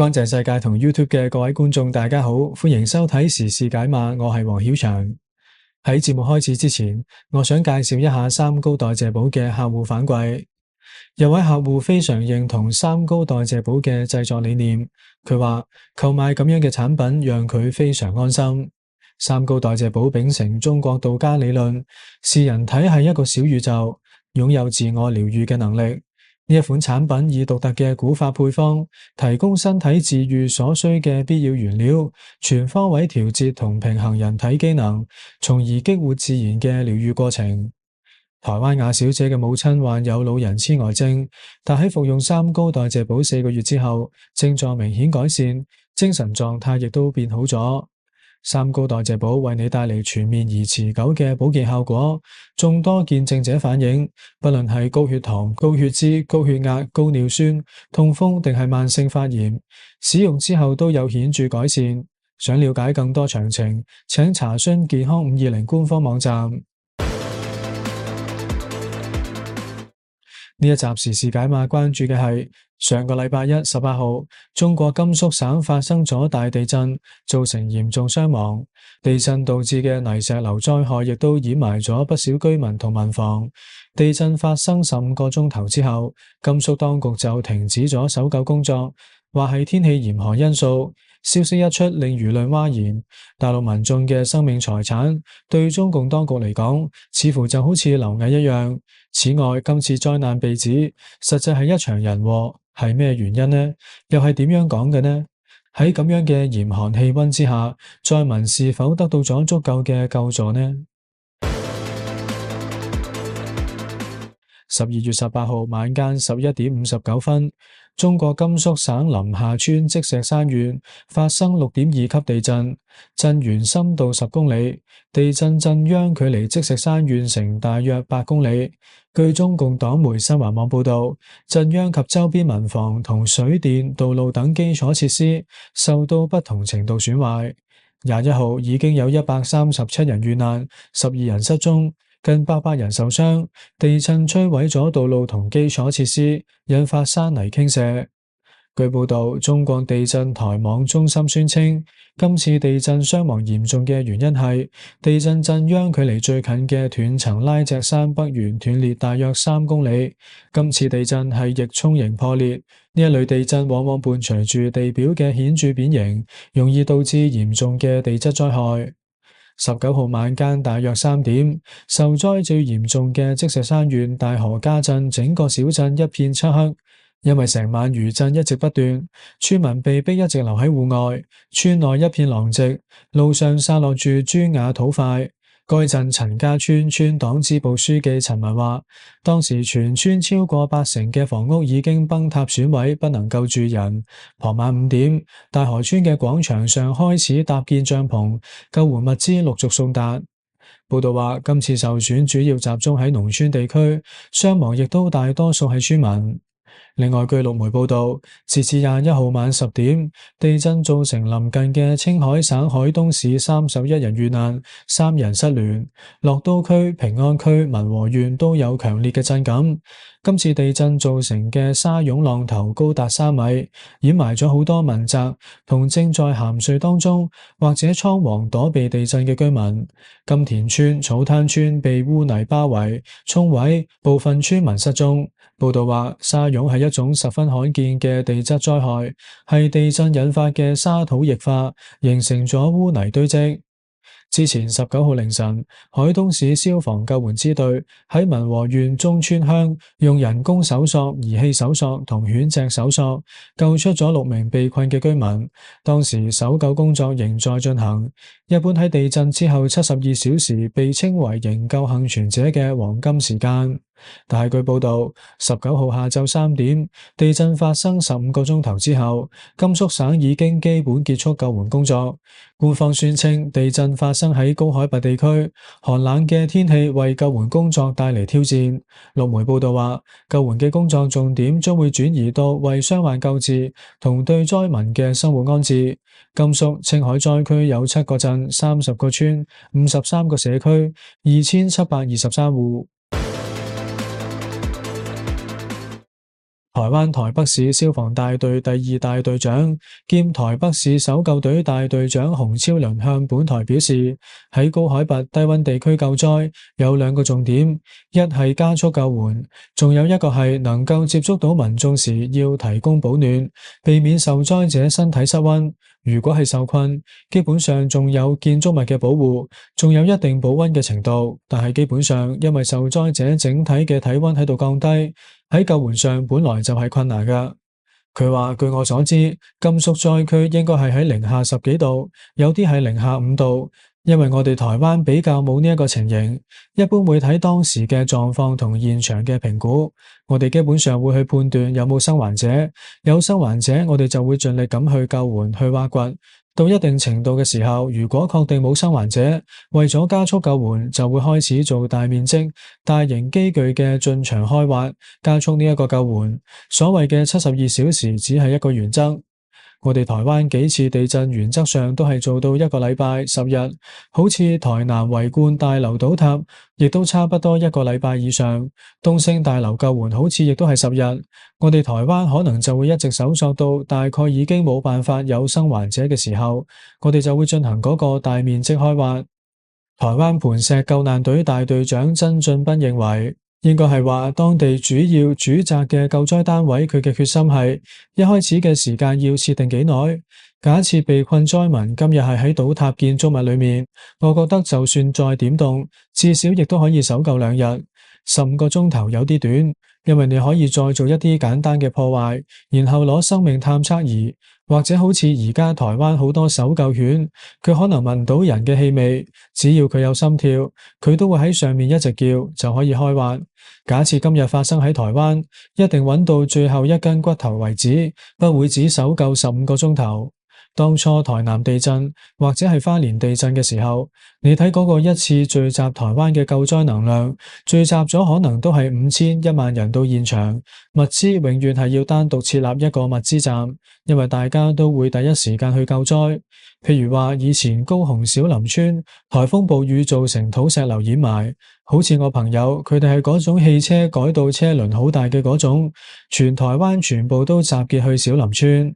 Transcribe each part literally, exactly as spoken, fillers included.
乾淨世界同 YouTube 嘅各位觀眾，大家好，歡迎收睇時事解碼，我係黃曉翔。喺節目開始之前，我想介紹一下三高代謝寶嘅客戶反饋。有位客戶非常認同三高代謝寶嘅製作理念，佢話購買咁樣嘅產品讓佢非常安心。三高代謝寶秉承中國道家理論，視人體係一個小宇宙，擁有自我療愈嘅能力。呢一款產品以獨特嘅古法配方，提供身體自愈所需嘅必要原料，全方位調節同平衡人體機能，從而激活自然嘅療愈過程。台灣亞小姐嘅母親患有老人痴呆症，但喺服用三高代謝寶四個月之後，症狀明顯改善，精神狀態亦都變好咗。三高代謝寶為你帶嚟全面而持久嘅保健效果，眾多見證者反映，不論係高血糖、高血脂、高血壓、高尿酸、痛風定係慢性發炎，使用之後都有顯著改善。想了解更多詳情，請查詢健康五二零官方網站。呢一集時事解碼關注嘅係上個禮拜一十八號，中國甘肅省發生咗大地震，造成嚴重傷亡。地震導致嘅泥石流災害亦都掩埋咗不少居民同民房。地震發生十五個鐘頭之後，甘肅當局就停止咗搜救工作，話係天氣嚴寒因素。消息一出，令輿論譁然。大陸民眾嘅生命財產對中共當局嚟講，似乎就好似螻蟻一樣。此外，今次災難被指實際係一場人禍，係咩原因呢？又係點樣講嘅呢？喺咁樣嘅嚴寒氣溫之下，災民是否得到咗足夠嘅救助呢？十二月十八號晚間十一點五十九分，中國甘肅省臨夏村積石山縣發生六點二級地震，震源深度十公里，地震震央距離積石山縣城大約八公里。據中共黨媒新華網報道，震央及周邊民房同水電、道路等基礎設施受到不同程度損壞。廿一號已經有一百三十七人遇難，十二人失蹤，近八百人受傷。地震摧毀咗道路同基礎設施，引發山泥傾瀉。據報道，中國地震台網中心宣稱，今次地震傷亡嚴重嘅原因係地震震央距離最近嘅斷層拉脊山北緣斷裂大約三公里。今次地震係翼衝型破裂，呢一類地震往往伴隨住地表嘅顯著變形，容易導致嚴重嘅地質災害。十九號晚間大約三點，受災最嚴重嘅積石山縣大河家鎮整個小鎮一片漆黑。因為成晚餘震一直不斷，村民被逼一直留喺戶外，村內一片狼藉，路上散落住磚瓦土塊。該鎮陳家村村黨支部書記陳文話，當時全村超過八成嘅房屋已經崩塌損毀，不能夠住人。傍晚五點，大河村嘅廣場上開始搭建帳篷，救援物資陸續送達。報道話，今次受損主要集中喺農村地區，傷亡亦都大多數係村民。另外，據陸媒報道，截至廿一號晚十點，地震造成臨近嘅青海省海東市三十一人遇難，三人失聯。樂都區、平安區、民和縣都有強烈嘅震感。今次地震造成嘅沙湧浪頭高達三米，掩埋咗好多民宅同正在鹹睡當中或者倉皇躲避地震嘅居民。金田村、草灘村被污泥包圍、沖毀，部分村民失蹤。報道話，沙湧係一種十分罕見嘅地質災害，係地震引發嘅沙土液化，形成咗污泥堆積。之前十九號凌晨，海東市消防救援支隊喺民和縣中村鄉用人工搜索、儀器搜索同犬隻搜索，救出咗六名被困嘅居民。當時搜救工作仍在進行。一般喺地震之後七十二小時被稱為營救幸存者嘅黃金時間。但係據報道，十九號下晝三點，地震發生十五個鐘頭之後，甘肅省已經基本結束救援工作。官方宣稱，地震發生喺高海拔地區，寒冷嘅天氣為救援工作帶嚟挑戰。陸媒報道話，救援嘅工作重點將會轉移到為傷患救治同對災民嘅生活安置。甘肅、青海災區有七個鎮、三十個村、五十三個社區、二千七百二十三戶。台灣台北市消防大隊第二大隊長兼台北市搜救隊大隊長洪超倫向本台表示，喺高海拔低溫地區救災有兩個重點，一係加速救援，仲有一個係能夠接觸到民眾時要提供保暖，避免受災者身體失溫。如果係受困，基本上仲有建築物嘅保護，仲有一定保溫嘅程度，但係基本上因為受災者整體嘅體溫喺度降低，喺救援上本來就係困難㗎。佢話據我所知，甘肅災區應該係喺零下十幾度，有啲係零下五度。因為我哋台灣比較冇呢一個情形，一般會睇當時嘅狀況同現場嘅評估，我哋基本上會去判斷有冇生還者，有生還者我哋就會盡力咁去救援去挖掘，到一定程度嘅時候，如果確定冇生還者，為咗加速救援，就會開始做大面積、大型機具嘅進場開挖，加速呢一個救援。所謂嘅七十二小時只係一個原則。我哋台灣幾次地震原則上都係做到一個禮拜十日，好似台南維冠大樓倒塌，亦都差不多一個禮拜以上。東升大樓救援好似亦都係十日，我哋台灣可能就會一直搜索到大概已經冇辦法有生還者嘅時候，我哋就會進行嗰個大面積開挖。台灣磐石救難隊大隊長曾俊斌認為，應該係話當地主要主責嘅救災單位，佢嘅決心係一開始嘅時間要設定幾耐。假設被困災民今日係喺倒塌建築物裏面，我覺得就算再點凍，至少亦都可以搜救兩日，十五個鐘頭有啲短，因為你可以再做一啲簡單嘅破壞，然後攞生命探測儀，或者好似而家台灣好多搜救犬，佢可能聞到人嘅氣味，只要佢有心跳，佢都會喺上面一直叫，就可以開挖。假設今日發生喺台灣，一定揾到最後一根骨頭為止，不會只搜救十五個鐘頭。當初台南地震或者係花蓮地震嘅時候，你睇嗰個一次聚集台灣嘅救災能量，聚集咗可能都係五千一萬人到現場，物資永遠係要單獨設立一個物資站，因為大家都會第一時間去救災。譬如話以前高雄小林村颱風暴雨造成土石流掩埋，好似我朋友佢哋係嗰種汽車改到車輪好大嘅嗰種，全台灣全部都集結去小林村。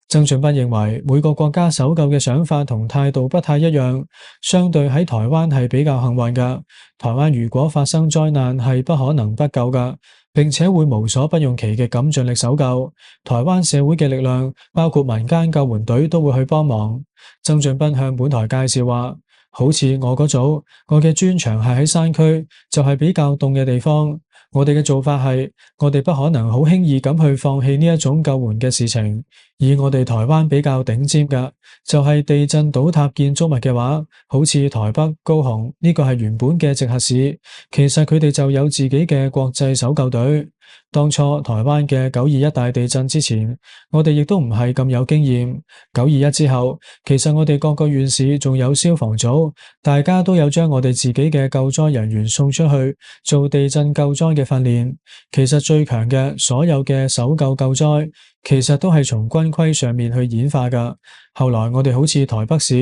曾俊斌認為每個國家搜救嘅想法同態度不太一樣，相對喺台灣係比較幸運㗎。台灣如果發生災難係不可能不救㗎，並且會無所不用其極咁盡力搜救。台灣社會嘅力量，包括民間救援隊都會去幫忙。曾俊斌向本台介紹話，好似我嗰組，我嘅專長係喺山區，就係比較凍嘅地方。我哋嘅做法係，我哋不可能好輕易咁去放棄呢一種救援嘅事情。以我哋台灣比較頂尖嘅，就係地震倒塌建築物嘅話，好似台北、高雄呢個係原本嘅直轄市，其實佢哋就有自己嘅國際搜救隊。當初台灣嘅九二一大地震之前，我哋亦都唔係咁有經驗。九二一之後，其實我哋各個縣市仲有消防組，大家都有將我哋自己嘅救災人員送出去做地震救災嘅訓練。其實最強嘅所有嘅搜救救災，其實都係從軍規上面去演化㗎。後來我哋好似台北市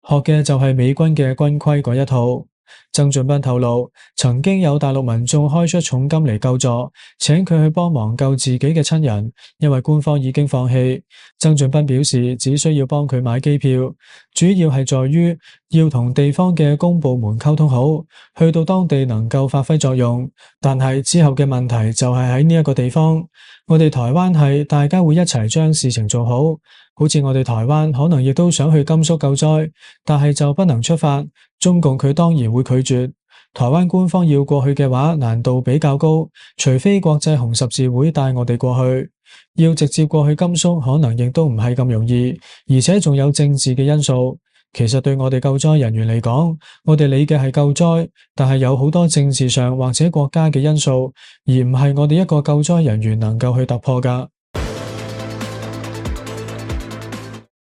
學嘅就係美軍嘅軍規嗰一套。曾俊斌透露，曾經有大陸民眾開出重金嚟救助，請佢去幫忙救自己嘅親人，因為官方已經放棄。曾俊斌表示，只需要幫佢買機票，主要係在於要同地方嘅公部門溝通好，去到當地能夠發揮作用。但係之後嘅問題就係喺呢一個地方，我哋台灣係大家會一齊將事情做好。好似我哋台灣可能亦都想去甘肅救災，但係就不能出發，中共佢當然會拒絕。台灣官方要過去嘅話，難度比較高，除非國際紅十字會帶我哋過去。要直接過去甘肅，可能亦都唔係咁容易，而且仲有政治嘅因素。其實對我哋救災人員嚟講，我哋理嘅係救災，但係有好多政治上或者國家嘅因素，而唔係我哋一個救災人員能夠去突破㗎。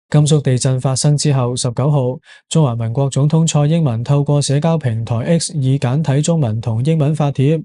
甘肅地震發生之後，十九號，中華民國總統蔡英文透過社交平台 X 以簡體中文同英文發帖，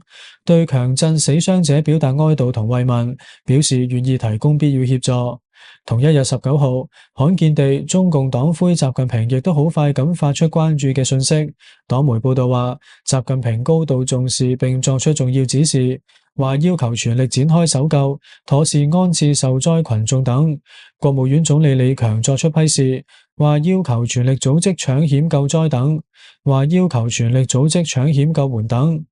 對強震死傷者表達哀悼同慰問，表示願意提供必要協助。同一日十九號，罕見地，中共黨魁習近平亦都好快咁發出關注嘅信息。黨媒報道話，習近平高度重視並作出重要指示，話要求全力展開搜救、妥善安置受災群眾等。國務院總理李強作出批示，話要求全力組織搶險救災等，話要求全力組織搶險救援等。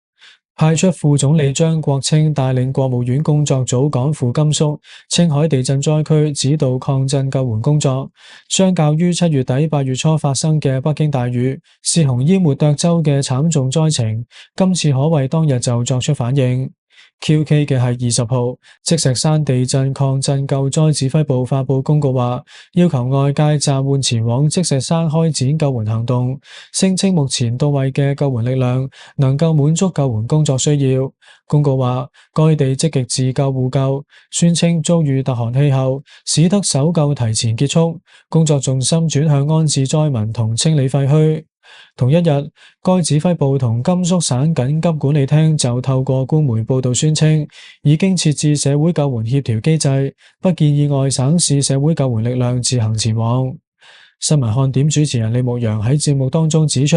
派出副總理張國清帶領國務院工作組趕赴甘肅、青海地震災區指導抗震救援工作。相較於七月底八月初發生嘅北京大雨、泗洪淹沒涿州嘅慘重災情，今次可謂當日就作出反應。蹊蹺嘅係二十號，積石山地震抗震救災指揮部發佈公告話，要求外界暫緩前往積石山開展救援行動，聲稱目前到位嘅救援力量能夠滿足救援工作需要。公告話，該地積極自救互救，宣稱遭遇特寒氣候，使得搜救提前結束，工作重心轉向安置災民同清理廢墟。同一日，該指揮部同甘肅省緊急管理廳就透過官媒報道宣稱，已經設置社會救援協調機制，不建議外省市社會救援力量自行前往。新聞看點主持人李牧陽喺節目當中指出，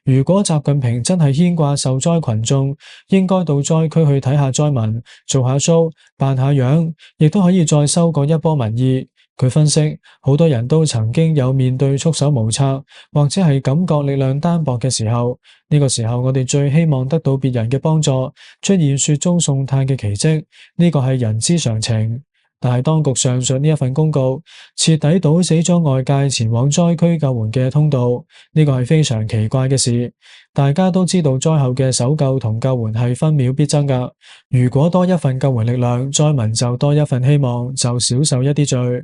如果習近平真係牽掛受災群眾，應該到災區去睇下災民，做下 show，扮下樣，亦都可以再收割一波民意。佢分析，好多人都曾經有面對束手無策，或者係感覺力量單薄嘅時候，呢個時候我哋最希望得到別人嘅幫助，出現雪中送炭嘅奇蹟，呢個係人之常情。但係當局上述呢一份公告，徹底堵死咗外界前往災區救援嘅通道，呢個係非常奇怪嘅事。大家都知道災後嘅搜救同救援係分秒必爭㗎，如果多一份救援力量，災民就多一份希望，就少受一啲罪。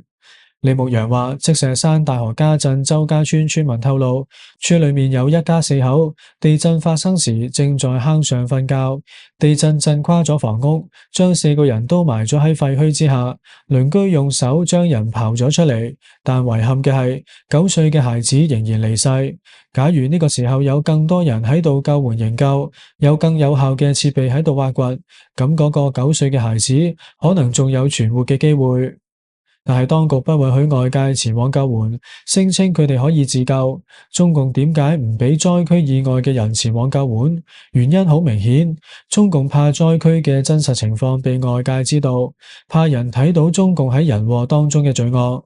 李牧陽話，積石山大河家鎮周家村村民透露，村裏面有一家四口，地震發生時正在坑上瞓覺，地震震垮咗房屋，將四個人都埋咗喺廢墟之下，鄰居用手將人刨咗出嚟，但遺憾嘅係九歲嘅孩子仍然離世。假如呢個時候有更多人喺度救援營救，有更有效嘅設備喺度挖掘，咁嗰個九歲嘅孩子可能仲有存活嘅機會。但係當局不允許外界前往救援，聲稱佢哋可以自救。中共點解唔俾災區以外嘅人前往救援？原因好明顯，中共怕災區嘅真實情況被外界知道，怕人睇到中共喺人禍當中嘅罪惡。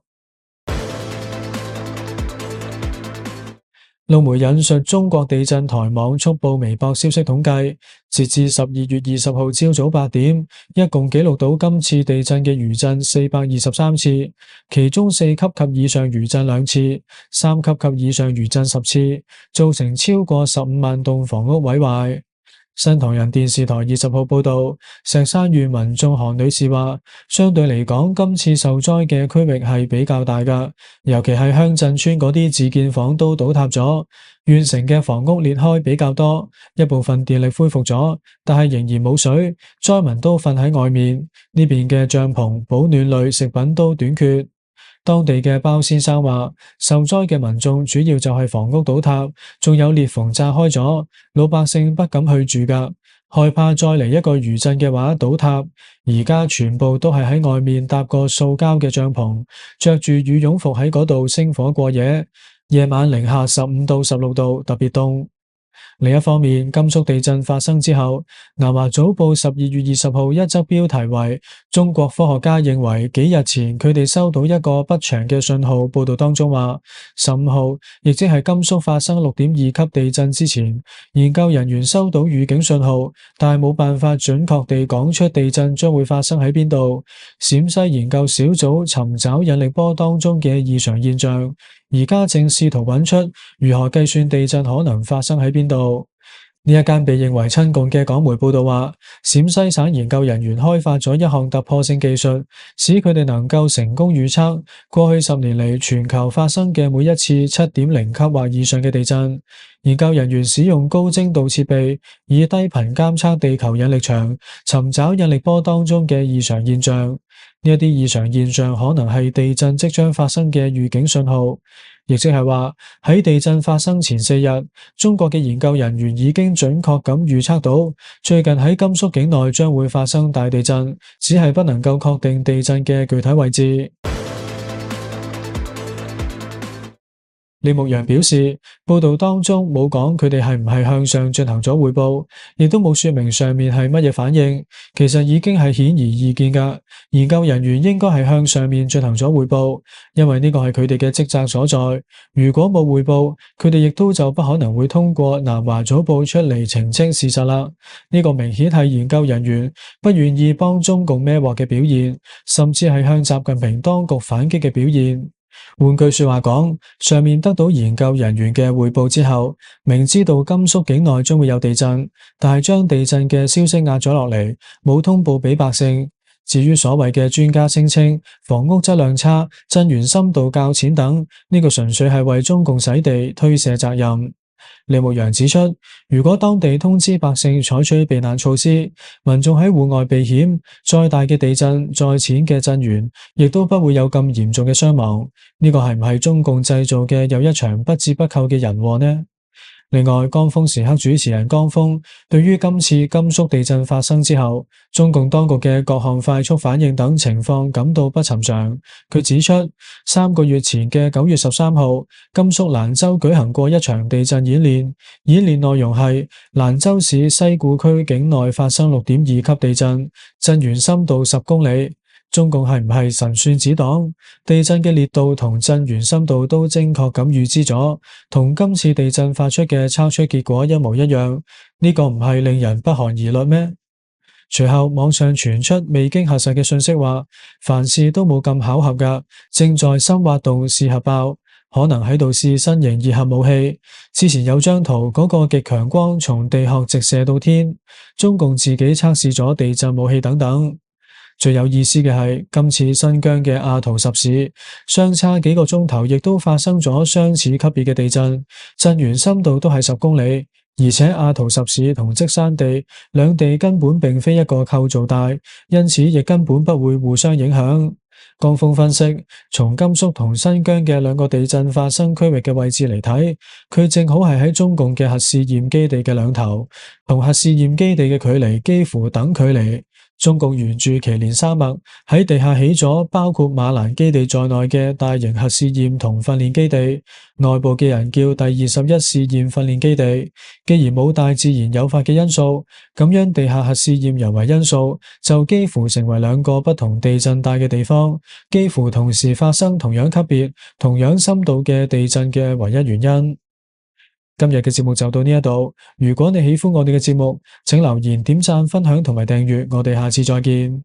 路媒引述中國地震台網速報微博消息統計，截至十二月二十號朝早八點，一共記錄到今次地震嘅餘震四百二十三次，其中四級及以上餘震兩次，三級及以上餘震十次，造成超過十五萬棟房屋毀壞。新唐人電視台二十號報道，石山縣民眾韓女士話，相對嚟講，今次受災嘅區域係比較大㗎，尤其係鄉鎮村嗰啲自建房都倒塌咗，縣城嘅房屋裂開比較多，一部分電力恢復咗，但係仍然冇水，災民都瞓喺外面，呢邊嘅帳篷、保暖類食品都短缺。當地嘅包先生話，受災嘅民眾主要就係房屋倒塌，仲有裂縫炸開咗，老百姓不敢去住㗎，害怕再嚟一個餘震嘅話倒塌。而家全部都係喺外面搭個塑膠嘅帳篷，着住羽絨服喺嗰度生火過夜，夜晚零下十五到十六度，特別凍。另一方面，甘肅地震發生之後，南華早報十二月二十號一則標題為中國科學家認為幾日前佢哋收到一個不祥嘅信號，報道當中話，十五號亦即係甘肅發生六點二級地震之前，研究人員收到預警信號，但係冇辦法準確地講出地震將會發生喺邊度。陝西研究小組尋找引力波當中嘅異常現象，而家正試圖揾出如何計算地震可能發生喺邊度。呢一間被認為親共嘅港媒報道話，陝西省研究人員開發咗一項突破性技術，使佢哋能夠成功預測過去十年嚟全球發生嘅每一次七點零級或以上嘅地震。研究人員使用高精度設備，以低頻監測地球引力場，尋找引力波當中嘅異常現象。呢一啲異常現象可能係地震即將發生嘅預警信號，亦即係話喺地震發生前四日，中國嘅研究人員已經準確咁預測到最近喺甘肅境內將會發生大地震，只係不能夠確定地震嘅具體位置。李牧陽表示，報道當中冇講佢哋係唔係向上進行咗匯報，亦都冇說明上面係乜嘢反應，其實已經係顯而易見噶。研究人員應該係向上面進行咗匯報，因為呢個係佢哋嘅職責所在。如果冇匯報，佢哋亦都就不可能會通過南華早報出嚟澄清事實啦。呢個明顯係研究人員不願意幫中共孭鑊嘅表現，甚至係向習近平當局反擊嘅表現。換句說話講，上面得到研究人員嘅匯報之後，明知道甘肅境內將會有地震，但係將地震嘅消息壓咗落嚟，冇通報俾百姓。至於所謂嘅專家聲稱房屋質量差、震源深度較淺等，呢個純粹係為中共洗地、推卸責任。李牧陽指出，如果當地通知百姓採取避難措施，民眾喺戶外避險，再大嘅地震、再淺嘅震源，亦都不會有咁嚴重嘅傷亡。呢個係唔係中共製造嘅又一場不折不扣嘅人禍呢？另外，江峰時刻主持人江峰對於今次甘肅地震發生之後，中共當局嘅各項快速反應等情況感到不尋常。佢指出，三個月前嘅九月十三號，甘肅蘭州舉行過一場地震演練，演練內容係蘭州市西固區境內發生六點二級地震，震源深度十公里。中共係唔係神算子黨？地震嘅烈度同震源深度都精確咁預知咗，同今次地震發出嘅測出結果一模一樣，呢個唔係令人不寒而慄咩？隨後網上傳出未經核實嘅信息話，凡事都冇咁巧合噶，正在深挖洞試核爆，可能喺度試新型熱核武器。之前有張圖，嗰個極強光從地殼直射到天，中共自己測試咗地震武器等等。最有意思嘅係，今次新疆嘅阿圖什市相差幾個鐘頭，亦都發生咗相似級別嘅地震，震源深度都係十公里，而且阿圖什市同積山地兩地根本並非一個構造帶，因此亦根本不會互相影響。江峰分析，從甘肅同新疆嘅兩個地震發生區域嘅位置嚟睇，佢正好係喺中共嘅核試驗基地嘅兩頭，同核試驗基地嘅距離幾乎等距離。中共沿住祁連山脈喺地下起咗包括馬蘭基地在內嘅大型核試驗同訓練基地，內部嘅人叫第二十一試驗訓練基地。既然冇大自然誘發嘅因素，咁樣地下核試驗人為因素就幾乎成為兩個不同地震帶嘅地方，幾乎同時發生同樣級別、同樣深度嘅地震嘅唯一原因。今日嘅節目就到呢一度，如果你喜歡我哋嘅節目，請留言、點讚、分享同埋訂閱，我哋下次再見。